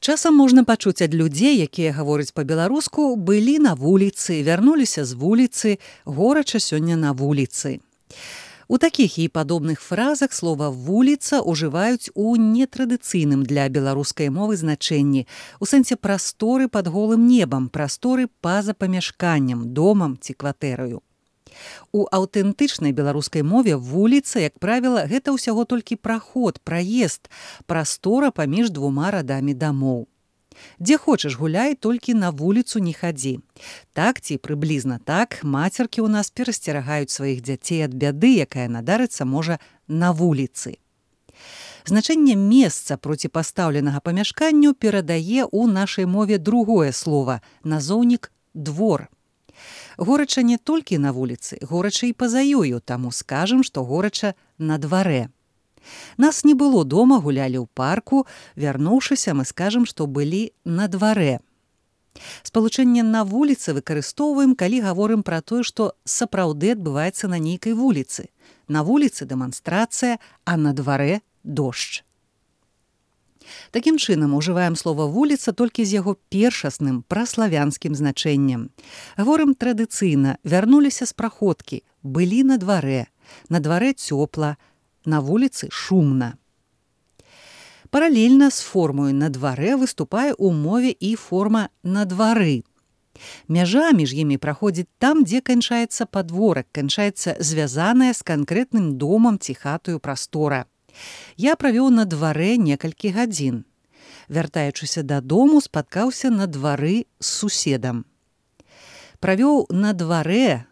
Часам можна пачуць ад людзей, якія гавораць па-беларуску, былі на вуліцы, вярнуліся з вуліцы, горача сёння на вуліцы. У такіх і падобных фразах слова «вуліца» ўжываюць у нетрадыцыйным для беларускай мовы значэнні, у сэнсе прасторы пад голым небам, прасторы па-за памяшканнем, домам ці кватэраю. У аўтэнтычнай беларускай мове вуліца, як правіла, гэта ўсяго толькі праход, праезд, прастора паміж двума радамі дамоў. Дзе хочаш гуляй, толькі на вуліцу не хадзі. Так ці прыблізна так мацеркі ў нас перасцерагаюць сваіх дзяцей ад бяды, якая надарыцца можа на вуліцы. Значэнне месца проціпастаўленага памяшканню перадае ў нашай мове другое слова – назоўнік «двор». Горача не толькі на вуліцы, горача і па-за ёю, таму скажам, што горача на дварэ. Нас не было дома, гулялі ў парку, вярнуўшыся, мы скажам, што былі на дварэ. Спалучэнне на вуліцы выкарыстоўваем, калі гаворым пра тое, што сапраўды адбываецца на нейкай вуліцы. На вуліцы дэманстрацыя, а на дварэ дождж. Такім чынам, ужываем слова «вуліца» толькі з яго першасным, праславянскім значэннем. Гаворым традыцыйна, вярнуліся з праходкі, былі на дварэ цёпла, на вуліцы шумна. Паралельна з формою «на дварэ» выступае ў мове і форма «на двары». Мяжа між імі праходзіць там, дзе канчаецца падворак, канчаецца звязаная з канкрэтным домам ці хатаю прастора. Я правёў на дварэ некалькі гадзін. Вяртаючыся дадому, спаткаўся на двары з суседам. Правёў на дварэ,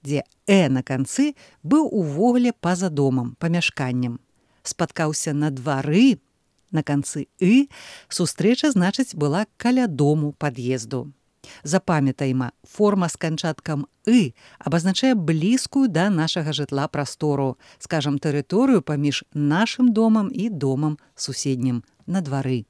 дзе на канцы, быў увогуле па-за домам, памяшканнем. Спаткаўся на двары, на канцы сустрэча, значыць, была каля дому, пад'езду. Запамятайма, форма з канчаткам абазначае блізкую да нашага жытла прастору, скажам, тэрыторыю паміж нашым домам і домам суседнім на двары.